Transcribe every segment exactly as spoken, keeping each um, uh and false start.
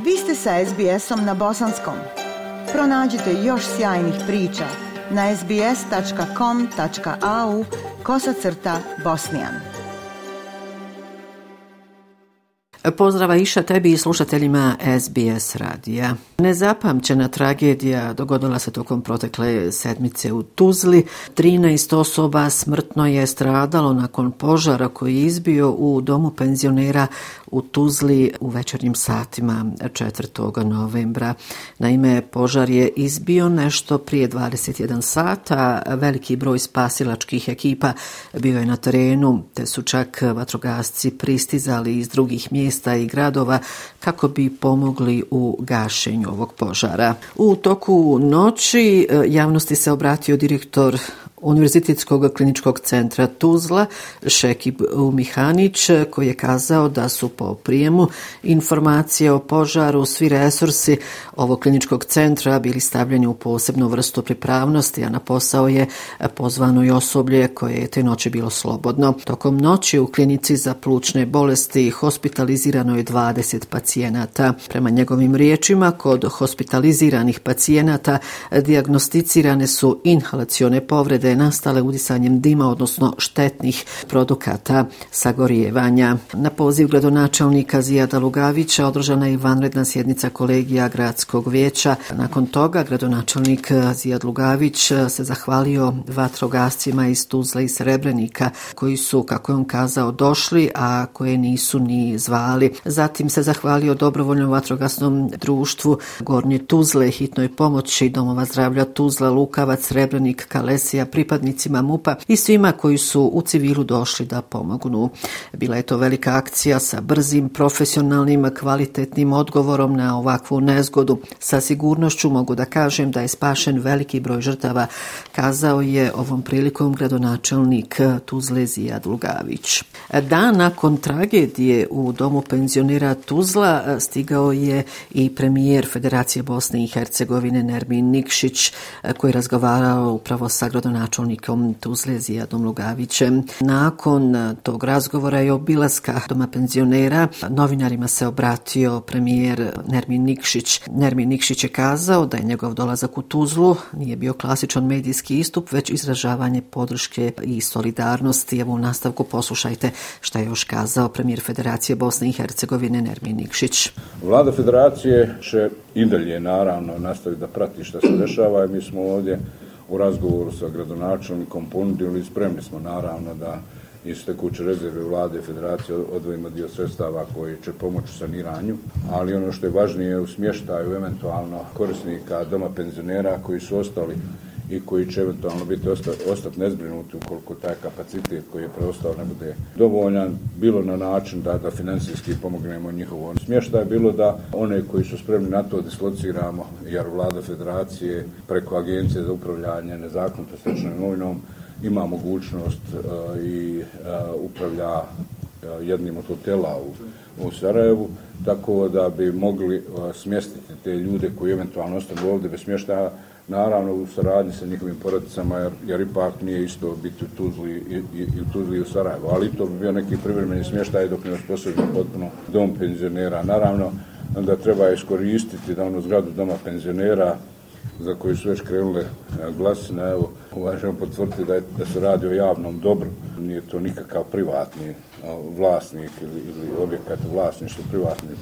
Vi ste sa es be esom na bosanskom. Pronađite još sjajnih priča na es be es tačka com tačka a u kosacrta bosnijan. Pozdrava Iša tebi i slušateljima es be es radija. Nezapamćena tragedija dogodila se tokom protekle sedmice u Tuzli. trinaest osoba smrtno je stradalo nakon požara koji je izbio u domu penzionera u Tuzli u večernjim satima četvrtog novembra. Naime, požar je izbio nešto prije dvadeset jedan sata. Veliki broj spasilačkih ekipa bio je na terenu, te su čak vatrogasci pristizali iz drugih mjesta i gradova kako bi pomogli u gašenju ovog požara. U toku noći javnosti se obratio direktor Univerzitetskog kliničkog centra Tuzla, Šekib Mihanić, koji je kazao da su po prijemu informacije o požaru svi resursi ovog kliničkog centra bili stavljeni u posebnu vrstu pripravnosti, a na posao je pozvano i osoblje koje je te noći bilo slobodno. Tokom noći u klinici za plućne bolesti hospitalizirano je dvadeset pacijenata. Prema njegovim riječima, kod hospitaliziranih pacijenata dijagnosticirane su inhalacione povrede nastale udisanjem dima, odnosno štetnih produkata sagorijevanja. Na poziv gradonačelnika Zijada Lugavića održana je vanredna sjednica kolegija gradskog vijeća. Nakon toga gradonačelnik Zijad Lugavić se zahvalio vatrogascima iz Tuzle i Srebrenika koji su, kako je on kazao, došli, a koje nisu ni zvali. Zatim se zahvalio dobrovoljnom vatrogasnom društvu Gornje Tuzle, hitnoj pomoći domova zdravlja Tuzla, Lukavac, Srebrenik, Kalesija, pripadnicima MUP-a i svima koji su u civilu došli da pomognu. Bila je to velika akcija sa brzim, profesionalnim, kvalitetnim odgovorom na ovakvu nezgodu. Sa sigurnošću mogu da kažem da je spašen veliki broj žrtava, kazao je ovom prilikom gradonačelnik Tuzle Zijad Lugavić. Dan nakon tragedije u domu penzionera Tuzla stigao je i premijer Federacije Bosne i Hercegovine Nermin Nikšić, koji je razgovarao upravo sa gradonačelnikom Tuzle Zijadom Lugavićem. Nakon tog razgovora i obilaska doma penzionera novinarima se obratio premijer Nermin Nikšić. Nermin Nikšić je kazao da je njegov dolazak u Tuzlu nije bio klasičan medijski istup, već izražavanje podrške i solidarnosti. Evo u nastavku poslušajte šta je još kazao premijer Federacije Bosne i Hercegovine Nermin Nikšić. Vlada Federacije će i dalje naravno nastaviti da prati šta se dešava i mi smo ovdje u razgovoru sa gradonačelnikom ponudili i spremni smo naravno da iz tekuće rezerve Vlade Federacije odvojimo dio sredstava koji će pomoći u saniranju, ali ono što je važnije u smještaju eventualno korisnika doma penzionera koji su ostali i koji će eventualno biti ostati, ostati nezbrinuti ukoliko taj kapacitet koji je preostao ne bude dovoljan, bilo na način da, da financijski pomognemo njihovom smještaju, bilo da one koji su spremni na to dislociramo, jer Vlada Federacije preko Agencije za upravljanje nezakonito stečenom imovinom ima mogućnost uh, i uh, upravlja uh, jednim od hotela u, u Sarajevu, tako da bi mogli uh, smjestiti te ljude koji eventualno ostanu ovdje bez smještaja, naravno u saradnji sa njihovim porodicama, jer, jer ipak nije isto biti u Tuzli i, i, i u Tuzli i u Sarajevu, ali to bi bio neki privremeni smještaj dok ne osposobi potpuno dom penzionera. Naravno, onda treba iskoristiti da onu zgradu doma penzionera za koju su već krenule glasine, evo, uvažemo potvrditi da, da se radi o javnom dobru. Nije to nikakav privatni vlasnik ili, ili objekat vlasništva privatnih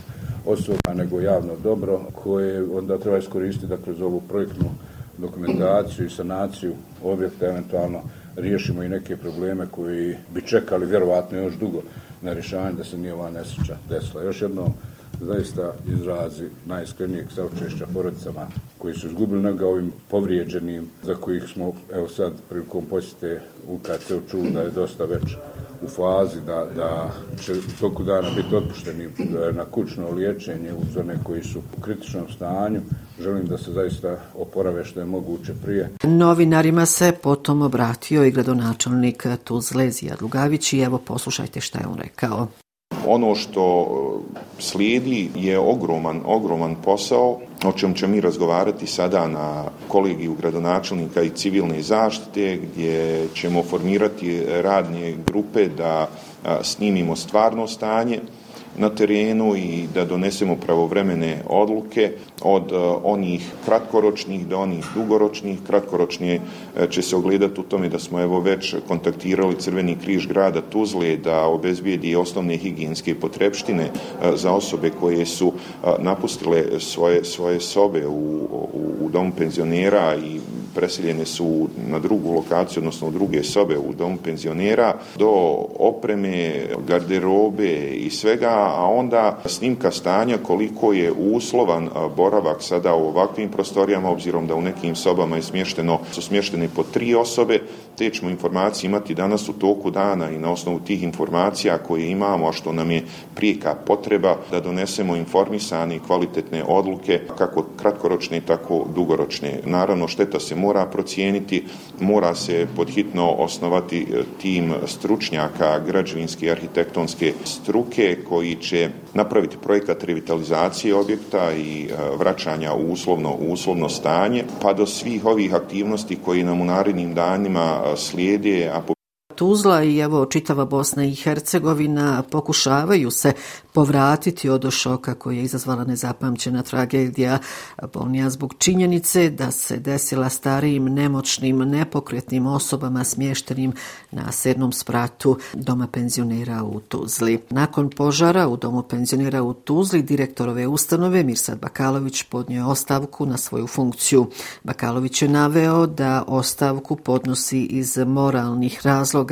osoba, nego javno dobro koje onda treba iskoristiti da kroz ovu projektnu dokumentaciju i sanaciju objekta eventualno riješimo i neke probleme koji bi čekali vjerovatno još dugo na rješavanje da se nije ova nesreća desila. Još jednom zaista izrazi najiskrenijeg saučešća porodicama koji su izgubili noga, ovim povrijeđenim za kojih smo evo sad prilikom posjete u K C-u čuli da je dosta već u fazi da, da će toliko dana biti otpušteni na kućno liječenje uz one koji su u kritičnom stanju. Želim da se zaista oporave što je moguće prije. Novinarima se potom obratio i gradonačelnik Tuzle Zijad Lugavić i evo poslušajte šta je on rekao. Ono što slijedi je ogroman, ogroman posao, o čem ćemo mi razgovarati sada na kolegiju gradonačelnika i civilne zaštite, gdje ćemo formirati radne grupe da snimimo stvarno stanje, na terenu i da donesemo pravovremene odluke od onih kratkoročnih do onih dugoročnih. Kratkoročnije će se ogledati u tome da smo evo već kontaktirali Crveni križ grada Tuzle da obezbijedi osnovne higijenske potrepštine za osobe koje su napustile svoje, svoje sobe u, u, u domu penzionera i preseljene su na drugu lokaciju, odnosno u druge sobe u domu penzionera, do opreme, garderobe i svega, a onda snimka stanja koliko je uslovan boravak sada u ovakvim prostorijama, obzirom da u nekim sobama je smješteno, su smještene po tri osobe. Te ćemo informacije imati danas u toku dana i na osnovu tih informacija koje imamo, a što nam je prijeka potreba da donesemo informisane i kvalitetne odluke, kako kratkoročne, tako dugoročne. Naravno, šteta se mora procijeniti, mora se podhitno osnovati tim stručnjaka građevinske i arhitektonske struke koji će napraviti projekat revitalizacije objekta i vraćanja u uslovno, uslovno stanje, pa do svih ovih aktivnosti koji nam u narednim danima slijede, a po Tuzla i evo čitava Bosna i Hercegovina pokušavaju se povratiti od šoka koji je izazvala nezapamćena tragedija, bolnija zbog činjenice da se desila starijim, nemoćnim, nepokretnim osobama smještenim na sedmom spratu doma penzionera u Tuzli. Nakon požara u domu penzionera u Tuzli, direktor ove ustanove Mirsad Bakalović podnio je ostavku na svoju funkciju. Bakalović je naveo da ostavku podnosi iz moralnih razloga,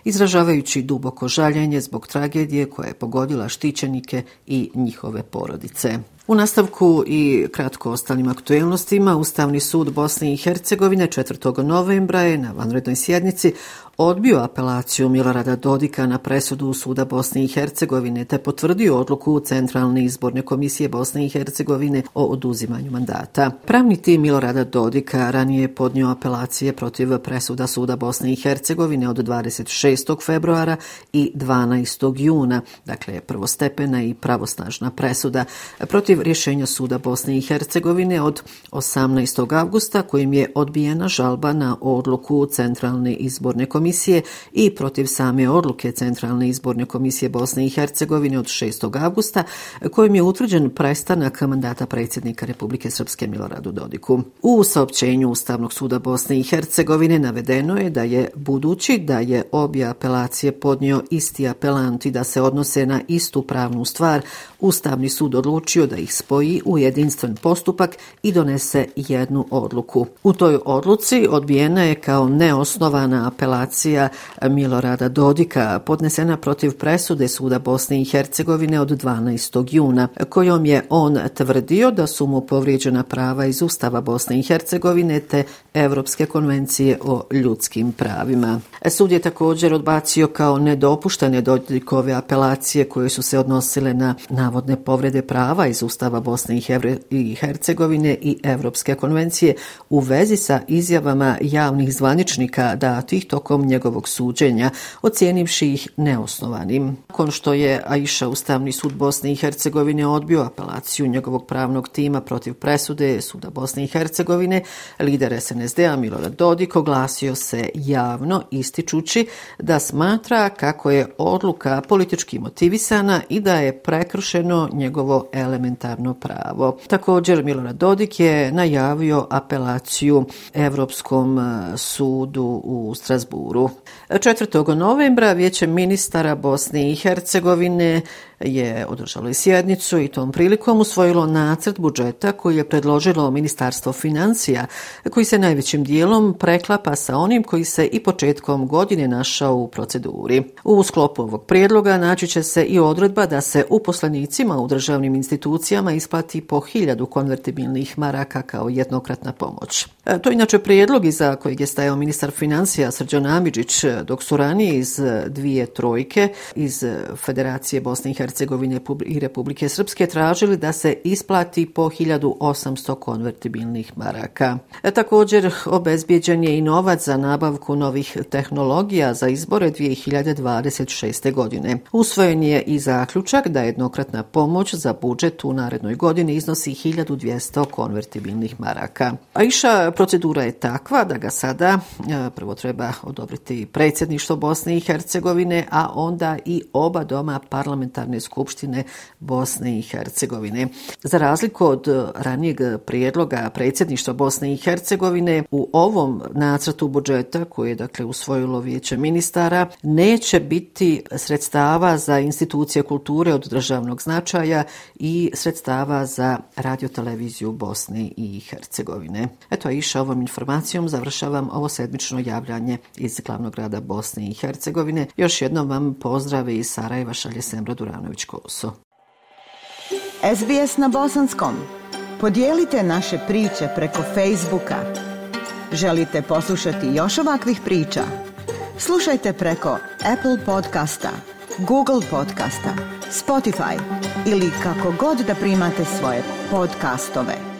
izražavajući duboko žaljenje zbog tragedije koja je pogodila štićenike i njihove porodice. U nastavku i kratko ostalim aktuelnostima, Ustavni sud Bosne i Hercegovine četvrtog novembra je na vanrednoj sjednici odbio apelaciju Milorada Dodika na presudu Suda Bosne i Hercegovine te potvrdio odluku Centralne izborne komisije Bosne i Hercegovine o oduzimanju mandata. Pravni tim Milorada Dodika ranije je podnio apelacije protiv presuda Suda Bosne i Hercegovine od dvadeset šestog februara i dvanaestog juna, dakle prvostepena i pravosnažna presuda, protiv rješenja Suda Bosne i Hercegovine od osamnaestog avgusta kojim je odbijena žalba na odluku Centralne izborne komisije i protiv same odluke Centralne izborne komisije Bosne i Hercegovine od šestog avgusta kojim je utvrđen prestanak mandata predsjednika Republike Srpske Miloradu Dodiku. U saopćenju Ustavnog suda Bosne i Hercegovine navedeno je da je, budući da je obje apelacije podnio isti apelant i da se odnose na istu pravnu stvar, Ustavni sud odlučio da ih spoji u jedinstven postupak i donese jednu odluku. U toj odluci odbijena je kao neosnovana apelacija Milorada Dodika podnesena protiv presude Suda Bosne i Hercegovine od dvanaestog juna, kojom je on tvrdio da su mu povrijeđena prava iz Ustava Bosne i Hercegovine te Evropske konvencije o ljudskim pravima. Sud je također odbacio kao nedopuštene Dodikove apelacije koje su se odnosile na navodne povrede prava iz Ustava Bosne i Hercegovine i Evropske konvencije u vezi sa izjavama javnih zvaničnika datih tokom njegovog suđenja, ocijenivši ih neosnovanim. Nakon što je Aisha Ustavni sud Bosne i Hercegovine odbio apelaciju njegovog pravnog tima protiv presude Suda Bosne i Hercegovine, lider es en es de-a Milorad Dodik oglasio se javno ističući da smatra kako je odluka politički motivisana i da je prekršeno njegovo elementarno pravo. Također Milorad Dodik je najavio apelaciju Evropskom sudu u Strasburu. četvrtog novembra Vijeće ministara Bosne i Hercegovine je održalo i sjednicu i tom prilikom usvojilo nacrt budžeta koji je predložilo Ministarstvo financija, koji se najvećim dijelom preklapa sa onim koji se i početkom godine našao u proceduri. U sklopu ovog prijedloga naći će se i odredba da se uposlenicima u državnim institucijama isplati po hiljadu konvertibilnih maraka kao jednokratna pomoć. To je inače prijedlog iza kojeg je stajao ministar financija Srđan Amidžić, dok su ranije iz dvije trojke iz Federacije Bosne i Hercegovine i Republike Srpske tražili da se isplati po hiljadu osamsto konvertibilnih maraka. E, također obezbijeđen je i novac za nabavku novih tehnologija za izbore dvije hiljade dvadeset šeste. godine. Usvojen je i zaključak da jednokratna pomoć za budžet u narednoj godini iznosi hiljadu dvjesto konvertibilnih maraka. Aisha, procedura je takva da ga sada e, prvo treba odobriti predsjedništvo Bosne i Hercegovine, a onda i oba doma parlamentarne Narodne skupštine Bosne i Hercegovine. Za razliku od ranijeg prijedloga predsjedništva Bosne i Hercegovine, u ovom nacrtu budžeta koji je dakle usvojilo Vijeće ministara neće biti sredstava za institucije kulture od državnog značaja i sredstava za radioteleviziju Bosne i Hercegovine. Eto, Iša, ovom informacijom završavam ovo sedmično javljanje iz glavnog grada Bosne i Hercegovine. Još jednom vam pozdrave iz Sarajeva šalje Semra Duranović-Koso. S B S na bosanskom. Podijelite naše priče preko Facebooka. Želite poslušati još ovakvih priča? Slušajte preko Apple podcasta, Google podcasta, Spotify ili kako god da primate svoje podcastove.